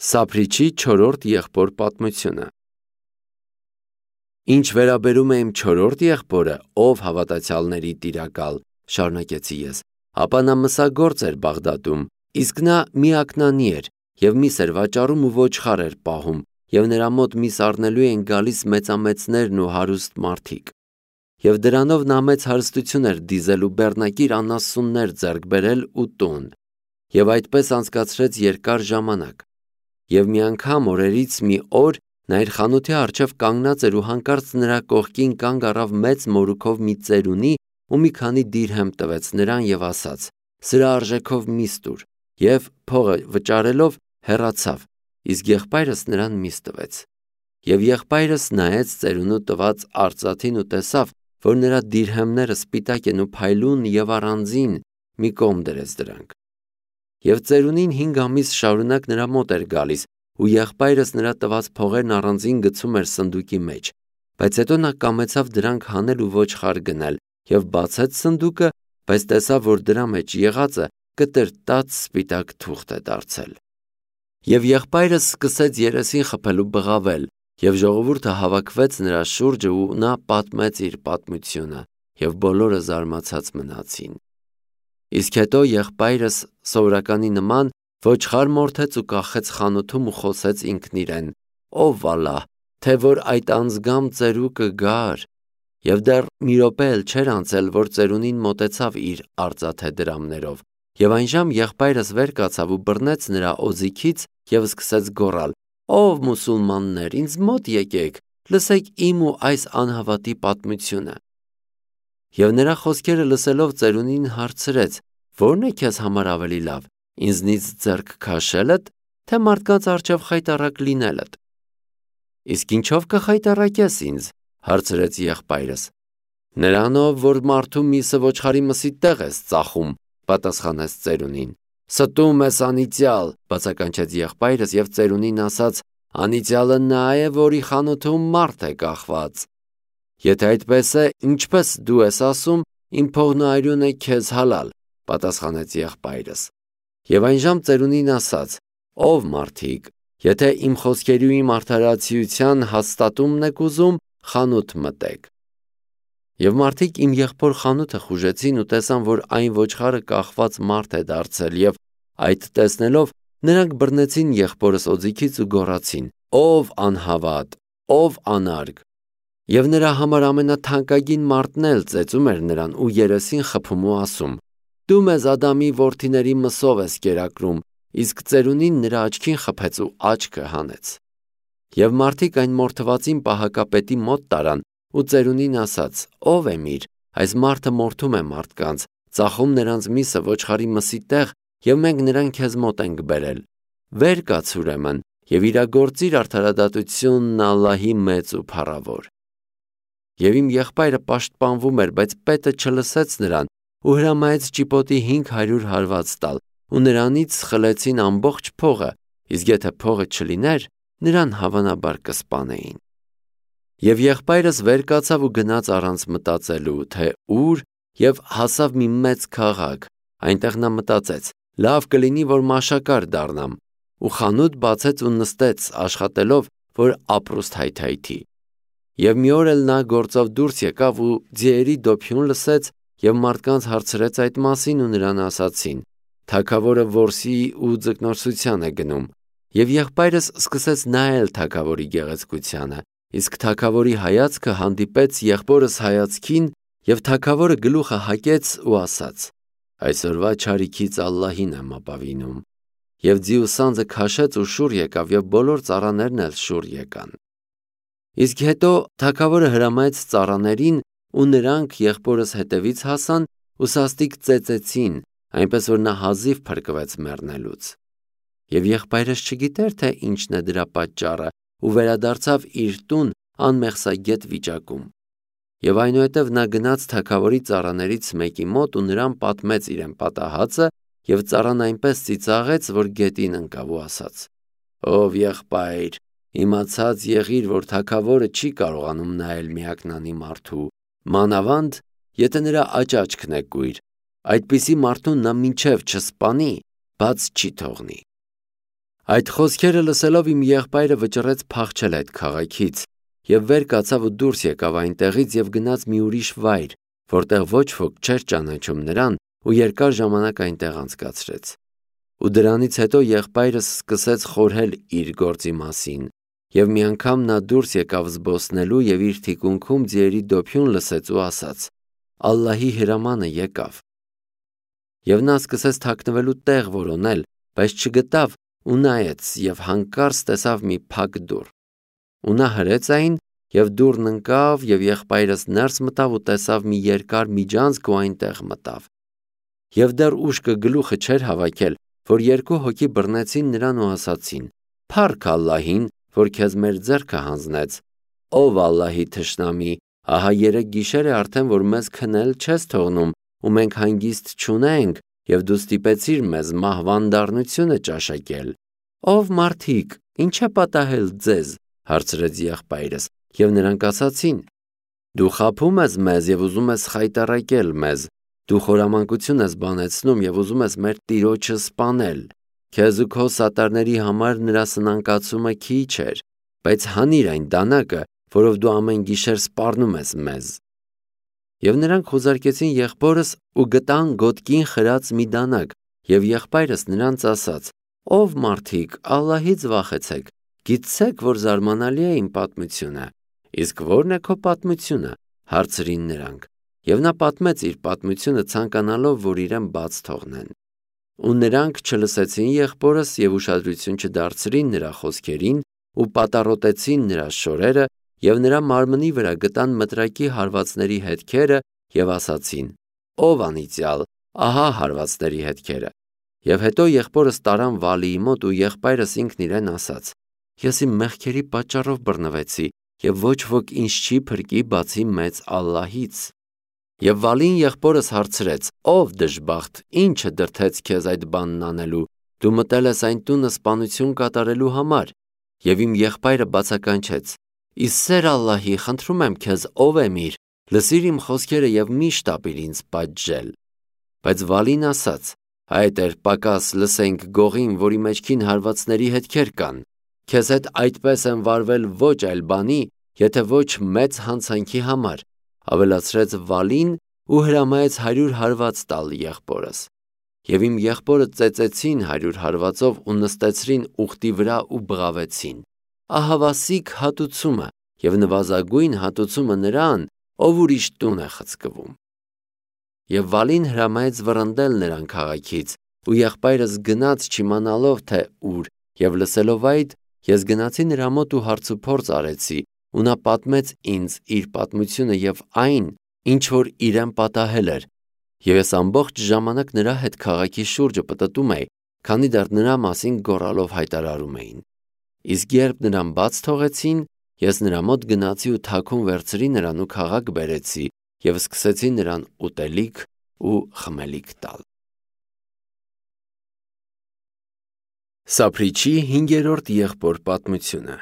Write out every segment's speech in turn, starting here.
Սափրիչի 4-րդ եղբոր պատմությունը։ Ինչ վերաբերում է իմ 4-րդ եղբորը, ով հավատացյալների տիրակալ, շարունակեցի ես, ապա նա մսագործ էր Բաղդադում, իսկ նա միակնանի էր և միս էր վաճառում ու ոչխար էր պահում, և նրա մոտ միս առնելու էին գալիս մեծամեծներն ու հարուստ մարդիկ։ Եվ դրանով նա մեծ հարստություն էր դիզել ու բեռնակիր անասուններ ձեռք բերել ու տուն, և այդպես անցկացրեց երկար ժամանակ։ Եվ մի անգամ օրերից մի օր նա իր խանութի առջև կանգնած էր ու հանկարծ նրա կողքին կանգ առավ մեծ մորուքով մի ծերունի ու մի քանի դիրհեմ տվեց նրան և ասաց. «Սրա արժեքով միս տուր», և փողը վճարելով հեռացավ, իսկ եղբայրս նրան միս տվեց։ Եվ եղբայրս նայեց ծերունու տված արծաթին ու տեսավ, որ նրա դիրհեմները սպիտակ են ու փայլուն և առանձին մի կողմ դրեց դրանք։ Եվ ծերունին 5 ամիս շարունակ նրա մոտ էր գալիս, ու եղբայրս նրա տված փողերն առանձին գցում էր սնդուկի մեջ, բայց հետո նա կամեցավ դրանք հանել ու ոչխար գնել, և բացեց սնդուկը, բայց տեսավ, որ դրա մեջ եղածը կտրտած սպիտակ թուղթ է դարձել։ Եվ եղբայրս սկսեց երեսին խփել ու բղավել, և ժողովուրդը հավաքվեց նրա շուրջը ու նա պատմեց իր պատմությունը, և բոլորը զարմացած մնացին։ Իսկ հետո եղբայրս սովորականի նման ոչխար մորթեց ու կախեց խանութում ու խոսեց ինքն իրեն. «Ով Ալլահ, թե որ այդ անձգամ ծերուկը գար», և դեռ մի րոպե էլ չէր անցել, որ ծերունին մոտեցավ իր արծաթե դրամներով, և այնժամ եղբայրս վեր կացավ ու բռնեց նրա օձիքից և սկսեց գոռալ. «Ով մուսուլմաններ, ինձ մոտ եկեք, լսեք իմ ու այս անհավատի պատմությունը»։ Եվ նրա խոսքերը լսելով ծերունին հարցրեց. «Ո՞րն է քեզ համար ավելի լավ, ինձնից ձեռք քաշելդ, թե մարդկանց առջև խայտառակ լինելդ»։ «Իսկ ինչով կխայտառակես ինձ», հարցրեց եղբայրս։ «Նրանով, որ մարդու միսը ոչխարի մսի տեղ ես ծախում», պատասխանեց ծերունին։ «Ստում ես անիծյալ», բացականչեց եղբայրս, և ծերունին ասաց. «Անիծյալը նա է, որի խանութում մարդ է կախված»։ «Եթե այդպես է, ինչպես դու ես ասում, իմ փողն ու արյունը քեզ հալալ», պատասխանեց եղբայրս։ Եվ այնժամ ծերունին ասաց. «Ով մարդիկ, եթե իմ խոսքերի ու իմ արդարացիության հաստատումն եք ուզում, խանութ մտեք»։ Եվ մարդիկ իմ եղբոր խանութը խուժեցին ու տեսան, որ այն ոչխարը կախված մարդ է դարձել, և այդ տեսնելով նրանք բռնեցին եղբորս օձիքից ու գոռացին. «Ով անհավատ, ով անարգ»։ Եվ նրա համար ամենաթանկագին մարդն էլ ծեծում էր նրան ու երեսին խփում ու ասում. «Դու մեզ Ադամի որդիների մսով ես կերակրում», իսկ ծերունին նրա աչքին խփեց ու աչքը հանեց։ Եվ մարդիկ այն մորթվածին պահակապետի մոտ տարան ու ծերունին ասաց. «Ով է միր, այս մարդը մորթում է մարդկանց, ծախում նրանց միսը ոչխարի մսի տեղ, և մենք նրան քեզ մոտ ենք բերել։ Վեր կաց ուրեմն և իրագործիր արդարադատությունն Ալլահի մեծ ու փառավոր»։ Եվ իմ եղբայրը պաշտպանվում էր, բայց պետը չլսեց նրան ու հրամայեց ճիպոտի 500 հարված տալ, ու նրանից խլեցին ամբողջ փողը, իսկ եթե փողը չլիներ, նրան հավանաբար կսպանեին։ Եվ եղբայրս վեր կացավ ու գնաց առանց մտածելու, թե ուր, և հասավ մի մեծ քաղաք, այնտեղ նա մտածեց. «Լավ կլինի, որ մաշակար դառնամ», ու խանութ բացեց ու նստեց աշխատելով, որ ապրուստ հայթայթի։ Եվ մի օր էլ նա գործով դուրս եկավ ու ձիերի դոփյուն լսեց և մարդկանց հարցրեց այդ մասին ու նրան ասացին. «Թագավորը որսի ու ձկնորսության է գնում»։ Եվ եղբայրս սկսեց նայել թագավորի գեղեցկությանը, իսկ թագավորի հայացքը հանդիպեց եղբորս հայացքին, և թագավորը գլուխը հակեց ու ասաց. «Այսօրվա չարիքից Ալլահին եմ ապավինում»։ Եվ ձիու սանձը քաշեց ու շուռ եկավ, և բոլոր ծառաներն էլ շուռ եկան։ Իսկ հետո թագավորը հրամայեց ծառաներին, ու նրանք եղբորս հետևից հասան ու սաստիկ ծեծեցին, այնպես որ նա հազիվ փրկվեց մեռնելուց։ Եվ եղբայրս չգիտեր, թե ինչն է դրա պատճառը, ու վերադարձավ իր տուն անմեղսագետ վիճակում։ Եվ այնուհետև նա գնաց թագավորի ծառաներից մեկի մոտ ու նրան պատմեց իրեն պատահածը, և ծառան այնպես ծիծաղեց, որ գետին ընկավ ու ասաց. «Ով եղբայր, իմացած եղիր, որ թագավորը չի կարողանում նայել միակնանի մարդու, մանավանդ եթե նրա աճաճքն է կույր, այդպիսի մարդուն նա մինչև չսպանի, բաց չի թողնի»։ Այդ խոսքերը լսելով իմ եղբայրը վճռեց փախչել այդ քաղաքից եւ վեր կացավ ու դուրս եկավ այնտեղից եւ գնաց մի ուրիշ վայր, որտեղ ոչ ոք չէր ճանաչում նրան ու երկար ժամանակ այնտեղ անցկացրեց։ Ու դրանից հետո եղբայրս սկսեց խորհել իր գործի մասին եւ մի անգամ նա դուրս եկավ զբոսնելու եւ իր թիկունքում ձիերի դոփյուն լսեց ու ասաց. «Ալլահի հրամանը եկավ»։ Եվ նա սկսեց թաքնվելու տեղ որոնել, բայց չգտավ ու նայեց եւ հանկարծ տեսավ մի փակ դուռ։ Ու նա հրեց այն եւ դուռն ընկավ եւ եղբայրս ներս մտավ ու տեսավ մի երկար միջանցք ու այնտեղ մտավ։ Եվ դեռ ուշքը գլուխը չէր հավաքել, որ երկու հոգի բռնեցին նրան ու ասացին. «Փառք Ալլահին, որ քեզ մեր ձեռքը հանձնեց, ով Ալլահի թշնամի, ահա 3 գիշեր է արդեն, որ մեզ քնել չես թողնում ու մենք հանգիստ չունենք եւ դու ստիպեցիր մեզ մահվան դառնությունը ճաշակել»։ «Ով մարդիկ, ինչ է պատահել ձեզ»։ Հարցրեց եղբայրս, եւ նրանք ասացին. «Դու խաբում ես մեզ եւ ուզում ես խայտառակել մեզ, դու խորամանկություն ես բանեցնում եւ ուզում ես մեր տիրոջը սպանել։ Քեզ ու քո սատարների համար նրա սնանկացումը քիչ էր, բայց հանիր այն դանակը, որով դու ամեն գիշեր սպառնում ես մեզ»։ Եվ նրանք խուզարկեցին եղբորս ու գտան գոտկին խրած մի դանակ, եւ եղբայրս նրանց ասաց. «Ով մարդիկ, Ալլահից վախեցեք, գիտեք, որ զարմանալի է իմ պատմությունը»։ «Իսկ ո՞րն է քո պատմությունը»։ Հարցրին նրանք։ Եվ նա պատմեց իր պատմությունը ցանկանալով, որ իրեն բաց թողնեն։ Ու նրանք չլսեցին եղբորս եւ ուշադրություն չդարձրին նրա խոսքերին ու պատառոտեցին նրա շորերը եւ նրա մարմնի վրա գտան մտրակի հարվածների հետքերը եւ ասացին. «Ով անիծյալ, ահա հարվածների հետքերը»։ Եվ հետո եղբորս տարան Վալիի մոտ ու եղբայրս ինքն իրեն ասաց. «Ես իմ մեղքերի պատճառով բռնվեցի եւ ոչ ոք ինձ չի փրկի բացի մեծ Ալլահից»։ Եվ Վալին եղբորս հարցրեց. «Ով դժբախտ, ինչը դրդեց քեզ այդ բանն անելու, դու մտել ես այն տունը սպանություն կատարելու համար»։ Եվ իմ եղբայրը բացականչեց. «Ի սեր Ալլահի, խնդրում եմ քեզ, ով եմ իր, լսիր իմ խոսքերը եւ մի շտապիր ինձ պատժել»։ Բայց Վալին ասաց. «Այդ էր պակաս լսենք գողին, որի մեջքին հարվածների հետքեր կան։ Քեզ հետ այդպես եմ վարվել ոչ այլ բանի, եթե ոչ մեծ հանցանքի համար», ավելացրեց Վալին ու հրամայեց 100 հարված տալ եղբորս։ Եվ իմ եղբորը ծեծեցին 100 հարվածով ու նստեցրին ուխտի վրա ու բղավեցին. «Ահավասիկ հատուցումը եւ նվազագույն հատուցումը նրան, ով ուրիշ տուն է խցկվում»։ Եվ Վալին հրամայեց վռնդել նրան քաղաքից, ու եղբայրս գնաց չիմանալով թե ուր, եւ լսելով այդ, ես գնացի նրա մոտ ու հարցուփորձ արեցի, ու նա պատմեց ինձ իր պատմությունը եւ այն, ինչ որ իրեն պատահել էր, եւ ես ամբողջ ժամանակ նրա հետ քաղաքի շուրջը պտտում էի, քանի դեռ նրա մասին գոռալով հայտարարում էին։ Իսկ երբ նրան բաց թողեցին, ես նրա մոտ գնացի ու թաքուն վերցրի նրան ու քաղաք բերեցի եւ սկսեցի նրան ուտելիք ու խմելիք տալ։ Սափրիչի 5-րդ եղբոր պատմությունը։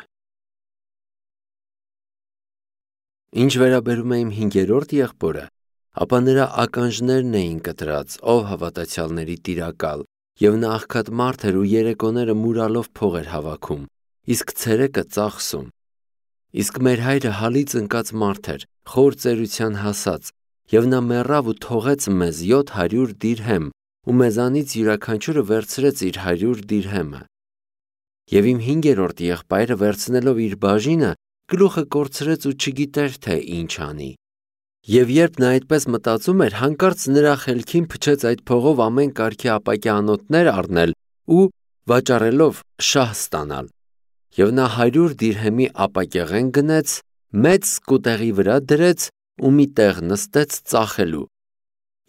Ինչ վերաբերում է իմ 5-րդ եղբորը, ապա նրա ականջներն էին կտրած, ով հավատացյալների տիրակալ, եւ նա աղքատ մարդ էր ու երեկոները մուրալով փող էր հավաքում, իսկ ցերեկը ծախսում։ Իսկ մեր հայրը հալից ընկած մարդ էր, խոր ծերության հասած, եւ նա մեռավ ու թողեց մեզ 700 դիրհեմ, ու մեզանից յուրաքանչյուրը վերցրեց իր 100 դիրհեմը։ Եվ իմ 5-րդ եղբայրը վերցնելով իր բաժինը, գլուխը կորցրեց ու չգիտեր, թե ինչ անի։ Եվ երբ նա այդպես մտածում էր, հանկարծ նրա խելքին փչեց այդ փողով ամեն կարգի ապակյա անոթներ առնել ու վաճառելով շահ ստանալ։ Եվ նա 100 դիրհեմի ապակեղեն գնեց, մեծ սկուտեղի վրա դրեց ու մի տեղ նստեց ծախելու։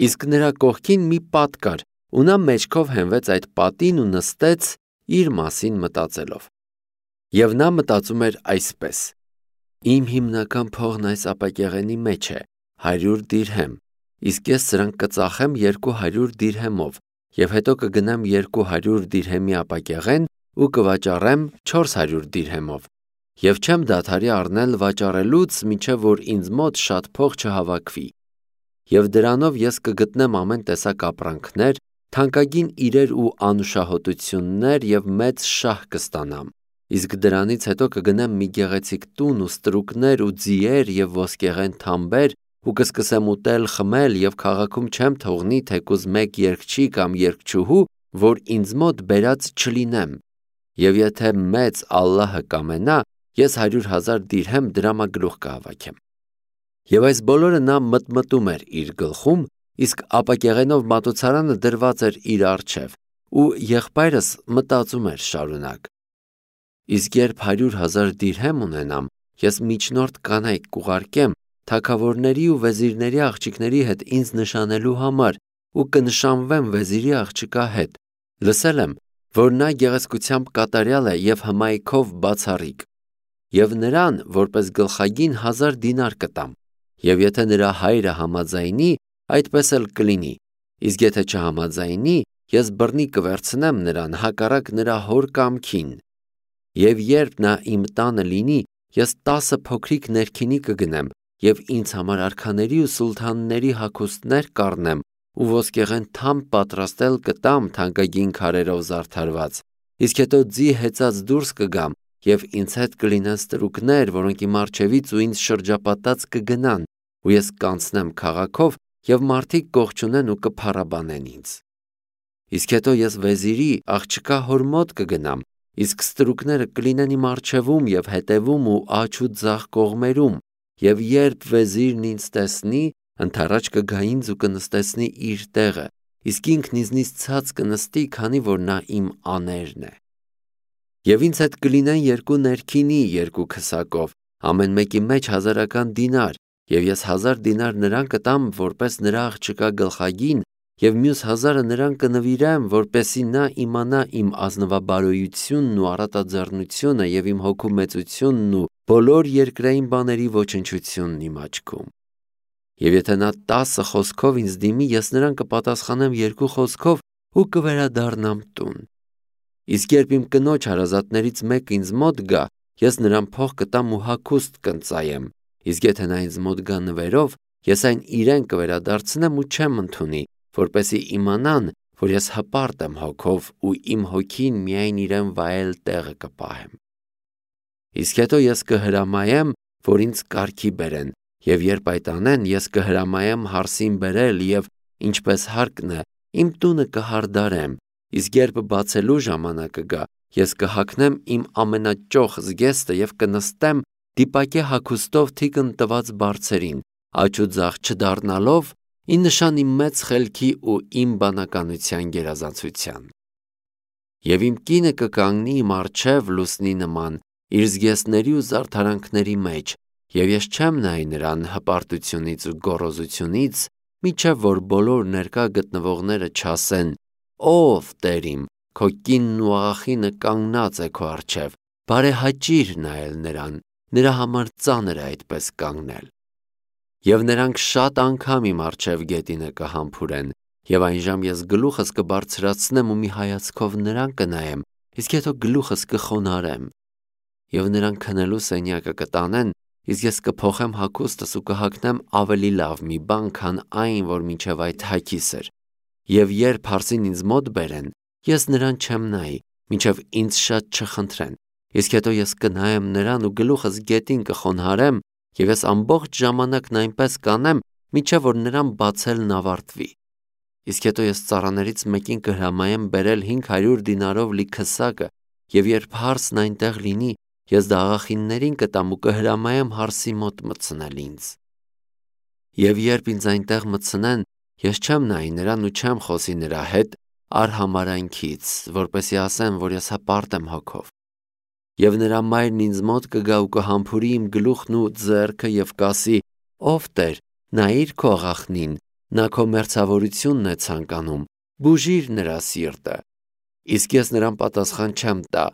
Իսկ նրա կողքին մի պատ կար, ու նա մեջքով հենվեց այդ պատին ու նստեց իր մասին մտածելով։ Եվ նա մտածում էր այսպես. «Իմ հիմնական փողն այս ապակեղենի մեջ է, 100 դիրհեմ, իսկ ես սրանք կծախեմ 200 դիրհեմով, եւ հետո կգնամ 200 դիրհեմի ապակեղեն ու կվաճառեմ 400 դիրհեմով, եւ չեմ դադարի առնել վաճառելուց, մինչև որ ինձ մոտ շատ փող չհավաքվի։ Եվ դրանով ես կգտնեմ ամեն տեսակ ապրանքներ թանկագին իրեր ու անուշահոտություններ և մեծ շահ կստանամ, իսկ դրանից հետո կգնեմ մի գեղեցիկ տուն ու ստրուկներ ու ձիեր և ոսկեղեն թամբեր ու կսկսեմ ուտել, խմել և քաղաքում չեմ թողնի թեկուզ մեկ երգչի կամ երգչուհու, որ ինձ մոտ բերած չլինեմ, և եթե մեծ Ալլահը կամենա, ես 100,000 դիրհեմ դրամագլուխ կհավաքեմ։ Եվ այս բոլորը նա մտմտում էր իր գլխում, իսկ ապակեղենով մատուցարանը դրված էր իր առջև, ու եղբայրս մտածում էր շարունակ. իսկ երբ 100,000 դիրհեմ ունենամ, ես միջնորդ կանայք կուղարկեմ թագավորների ու վեզիրների աղջիկների հետ ինձ նշանելու համար ու կնշանվեմ վեզիրի աղջկա հետ։ Լսել եմ, որ նա գեղեցկությամբ կատարյալ է և հմայքով բացառիկ, և նրան որպես գլխագին 1000 դինար կտամ, և եթե նրա հայրը համաձայնի, այդպես էլ կլինի, իսկ եթե չհամաձայնի, ես բռնի կվերցնեմ նրան հակառակ նրա հոր կամքին։ Եվ երբ նա իմ տանը լինի, ես 10 փոքրիկ ներքինի կգնեմ և ինձ համար արքաների ու սուլթանների հագուստներ կառնեմ ու ոսկեղեն թամբ պատրաստել կտամ թանկագին քարերով զարդարված, իսկ հետո ձի հեծած դուրս կգամ և ինձ հետ կլինեն ստրուկներ, որոնք իմ առջևից ու ինձ շրջապատած կգնան, ու ես կանցնեմ քաղաքով և մարդիկ կողջունեն ու կփառաբանեն ինձ։ Իսկ հետո ես վեզիրի աղջկա հոր մոտ կգնամ, իսկ ստրուկները կլինեն իմ առջևում և հետևում ու աջ ու ձախ կողմերում, և երբ վեզիրն ինձ տեսնի, ընդառաջ կգա ինձ ու կնստեցնի իր տեղը, իսկ ինքն ինձնից ցած կնստի, քանի որ նա իմ աներն է։ Եվ ինձ հետ կլինեն 2 ներքինի 2 քսակով, ամեն մեկի մեջ 1000 դինար, և ես 1000 դինար նրան կտամ որպես նրա աղջկա գլխագին, և մյուս 1000-ը նրան կնվիրեմ, որպեսզի նա իմանա իմ ազնվաբարոյությունն ու առատաձեռնությունը և իմ հոգու մեծությունն ու բոլոր երկրային բաների ոչնչությունն իմ աչքում։ Եվ եթե նա 10 խոսքով ինձ դիմի, ես նրան կպատասխանեմ 2 խոսքով ու կվերադառնամ տուն։ Իսկ երբ իմ կնոջ հարազատներից մեկը ինձ մոտ գա, ես նրան փող կտամ ու հագուստ կընծայեմ, իսկ եթե նա ինձ մոտ գա նվերով, ես այն իրեն կվերադարձնեմ ու չեմ ընդունի, որպեսզի իմանան, որ ես հպարտ եմ հոգով ու իմ հոգին միայն իրեն վայել տեղը կպահեմ։ Իսկ հետո ես կհրամայեմ, որ ինձ կարգի բերեն, և երբ այդ անեն, ես կհրամայեմ հարսին բերել և, ինչպես հարկն է, իմ տունը կհարդարեմ, իսկ երբ բացելու ժամանակը գա, ես կհագնեմ իմ ամենաճոխ զգեստը և կնստեմ դիպակե հագուստով թիկն տված բարձերին, աջ ու ձախ չդառնալով, ի նշան իմ մեծ խելքի ու իմ բանականության գերազանցության։ Եվ իմ կինը կկանգնի իմ առջև լուսնի նման, իր զգեստների ու զարդարանքների մեջ, և ես չեմ նայի նրան հպարտությունից ու գոռոզությունից, մինչև որ բոլոր ներկա գտնվողները չասեն. «Ով Տեր իմ, քո կինն ու աղախինը կանգնած է քո առջև, բարեհաճիր նայել նրան, նրա համար ծանր է այդպես կանգնել»։ Եվ նրանք շատ անգամ իմ առջև գետինը կհամբուրեն, և այնժամ ես գլուխս կբարձրացնեմ ու մի հայացքով նրան կնայեմ, իսկ հետո գլուխս կխոնարհեմ։ Եվ նրանք քնելու սենյակը կտանեն, իսկ ես կփոխեմ հագուստս ու կհագնեմ ավելի լավ մի բան, քան այն, որ մինչև այդ հագիս էր։ Եվ երբ հարսին ինձ մոտ բերեն, ես նրան չեմ նայի, մինչև ինձ շատ չխնդրեն, իսկ հետո ես կնայեմ նրան ու գլուխս գետին կխոնարհեմ, և ես ամբողջ ժամանակն այնպես կանեմ, մինչև որ նրան բացելն ավարտվի։ Իսկ հետո ես ծառաներից մեկին կհրամայեմ բերել 500 դինարով լի քսակը, և երբ հարսն այնտեղ լինի, ես դա աղախիններին կտամ ու կհրամայեմ հարսի մոտ մտցնել ինձ։ Եվ երբ ինձ այնտեղ մտցնեն, ես չեմ նայի նրան ու չեմ խոսի նրա հետ արհամարհանքից, որպեսզի ասեմ, որ ես հպարտ եմ հոգով։ Եվ նրա մայրն ինձ մոտ կգա ու կհամբուրի իմ գլուխն ու ձեռքը և կասի. «Ով Տեր, նայիր քո աղախնին, նա քո մերձավորությունն է ցանկանում, բուժիր նրա սիրտը»։ Իսկ ես նրան պատասխան չեմ տա։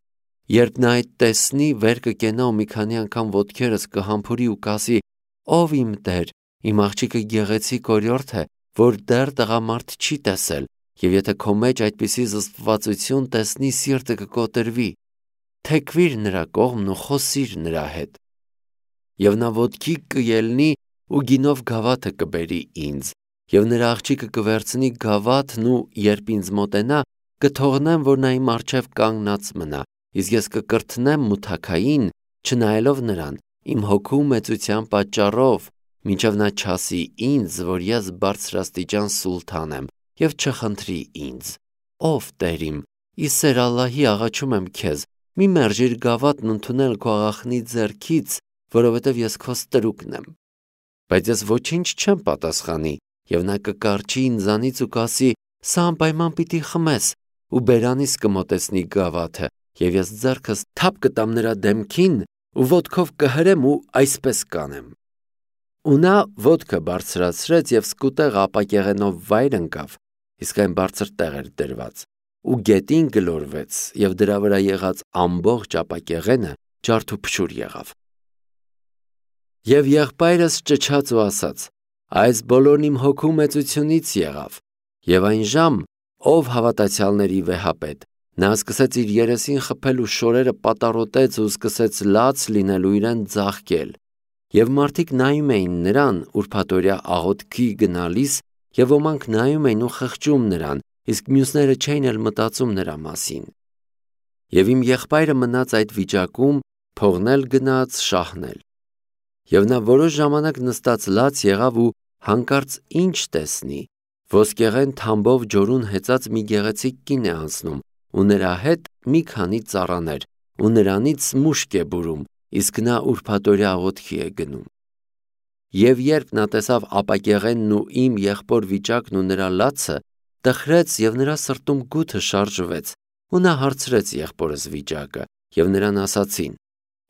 Երբ նա այդ տեսնի, վեր կկենա ու մի քանի անգամ ոտքերս կհամբուրի ու կասի. «Ով իմ Տեր, իմ աղջիկը գեղեցիկ օրիորդ է, որ դեռ տղամարդ չի տեսել, և եթե քո մեջ այդպիսի զսպվածություն տեսնի, սիրտը կկոտրվի, թեքվիր նրա կողմն ու խոսիր նրա հետ»։ Եվ նա ոտքի կելնի ու գինով գավաթը կբերի ինձ, եւ նրա աղջիկը կվերցնի գավաթն ու երբ ինձ մոտենա, կթողնեմ, որ նա իմ առջև կանգնած մնա, իսկ ես կկրթնեմ մութաքային, չնայելով նրան, իմ հոգու մեծության պատճառով, մինչև նա չասի ինձ, որ ես բարձրաստիճան սուլթան եմ եւ չխնդրի ինձ. ով Տեր իմ, ի սեր Ալլահի աղաչում եմ քեզ, մի մերժիր գավաթն ընդունել քո աղախնի ձեռքից, որովհետև ես քո ստրուկն եմ։ Բայց ես ոչինչ չեմ պատասխանի, եւ նա կկառչի ինձանից ու կասի. սա անպայման պիտի խմես, ու բերանիս կմոտեցնի գավաթը, եւ ես ձեռքս թափ կտամ նրա դեմքին ու ոտքով կհրեմ ու այսպես կանեմ։ Ու նա ոտքը բարձրացրեց եւ սկուտեղ ապակեղենով վայր ընկավ, իսկ այն բարձր տեղ էր դրված, ու գետին գլորվեց, եւ դրա վրա եղած ամբողջ ապակեղենը ջարդուփշուր եղավ։ Եվ եղբայրս ճչաց ու ասաց. այս բոլորն իմ հոգու մեծությունից եղավ, եւ այն ժամ, ով հավատացյալների վեհապետ, նա սկսեց իր երեսին խփել ու շորերը պատառոտեց ու սկսեց լաց լինել ու իրեն ձաղկել, եւ մարդիկ նայում էին նրան ուրբաթօրյա աղոթքի գնալիս, եւ ոմանք նայում էին ու խղճում նրան, իսկ մյուսները չէին էլ մտածում նրա մասին։ Եվ իմ եղբայրը մնաց այդ վիճակում, փողնել գնաց շահնել։ Եվ նա որոշ ժամանակ նստած լաց եղավ ու հանկարծ ինչ տեսնի, ոսկեղեն թամբով ջորուն հեծած մի գեղեցիկ կին է անցնում, ու նրա հետ մի քանի ծառաներ, ու նրանից մուշկ է բուրում, իսկ նա ուրբաթօրյա աղոթքի է գնում։ Եվ երբ նա տեսավ ապակեղենն ու իմ եղբոր վիճակն ու նրա լացը, տխրեց եւ նրա սրտում գութը շարժվեց, ու նա հարցրեց եղբորս վիճակը, եւ նրան ասացին.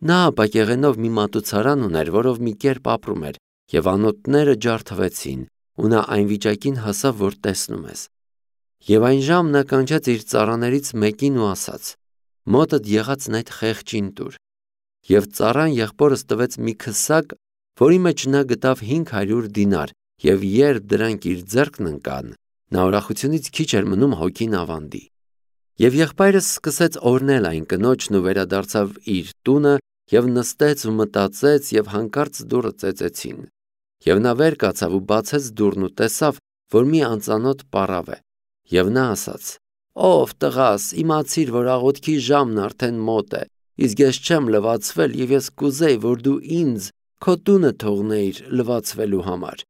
նա ապակեղենով մի մատուցարան ուներ, որով մի կերպ ապրում էր, եւ անոթները ջարդվեցին, ու նա այն վիճակին հասավ, որ տեսնում ես։ Եվ այն ժամ նա կանչեց իր ծառաներից մեկին ու ասաց. մոտդ եղածն այդ խեղճին տուր։ Եվ ծառան եղբորս տվեց մի քսակ, որի մեջ նա գտավ 500 դինար, եւ երբ դրանք իր ձեռքն ընկան, նա ուրախությունից քիչ էր մնում հոգին ավանդի։ Եվ եղբայրս սկսեց օրհնել այն կնոջն ու վերադարձավ իր տունը եւ նստեց ու մտածեց եւ հանկարծ դուռը ծեծեցին։ Եվ նա վեր կացավ ու բացեց դուռն ու տեսավ, որ մի անծանոթ պառավ է։ Եվ նա ասաց. ով տղաս, իմացիր, որ աղոթքի ժամն արդեն մոտ է, իսկ ես չեմ լվացվել եւ ես կուզեի, որ դու ինձ քո տունը թողնեիր լվացվելու համար։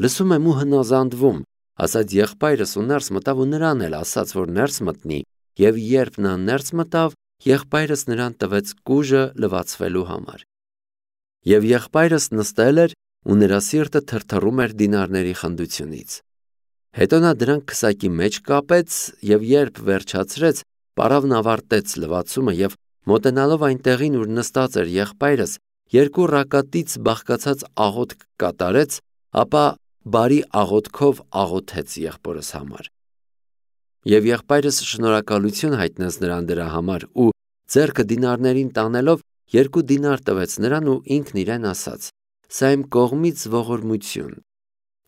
Լսում եմ ու հնազանդվում, ասաց եղբայրս ու ներս մտավ ու նրան էլ ասաց, որ ներս մտնի, եւ երբ նա ներս մտավ, եղբայրս նրան տվեց կուժը լվացվելու համար։ Եվ եղբայրս նստել էր ու նրա սիրտը թրթռում էր դինարների խնդությունից։ Հետո նա դրանք քսակի մեջ կապեց եւ երբ վերջացրեց, պառավն ավարտեց լվացումը եւ մոտենալով այն տեղին, ուր նստած էր եղբայրս, երկու ռակատից բաղկացած աղոթք կատարեց, ապա բարի աղոթքով աղոթեց եղբորս համար։ Եվ եղբայրս շնորհակալություն հայտնեց նրան դրա համար ու ձեռքը դինարներին տանելով 2 դինար տվեց նրան ու ինքն իրեն ասաց. սա իմ կողմից ողորմություն։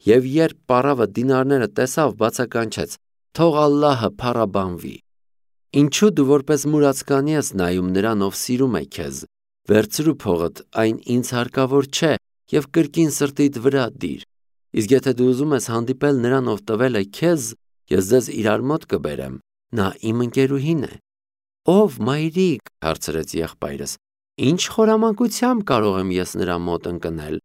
Եվ երբ պառավը դինարները տեսավ, բացականչեց. թող Ալլահը փառաբանվի։ Ինչու դու որպես մուրացկանի ես նայում նրան, ով սիրում է քեզ, վերցրու փողդ, այն ինձ հարկավոր չէ, եւ կրկին սրտիդ վրա դիր։ Իսկ եթե դու ուզում ես հանդիպել նրան, ով տվել է քեզ, ես ձեզ իրար մոտ կբերեմ, նա իմ ընկերուհին է։ Ով մայրիկ, հարցրեց եղբայրս, ինչ խորամանկությամբ կարող եմ ես նրա մոտ ընկնել։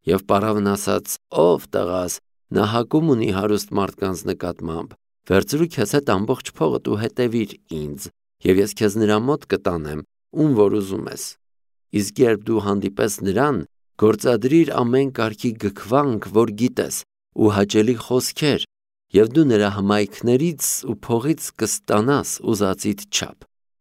Եվ պառավն ասաց. ով տղաս, նա հակում ունի հարուստ մարդկանց նկատմամբ, վերցրու քեզ հետ ամբողջ փողդ ու հետևիր ինձ, եւ ես քեզ նրա մոտ կտանեմ, ում որ ուզում ես։ Իսկ երբ դու հանդիպես նրան, գործադրիր ամեն կարգի գքվանք, որ գիտես, ու հաճելի խոսքեր, եւ դու նրա հմայքներից ու փողից կստանաս ուզածիդ չափ։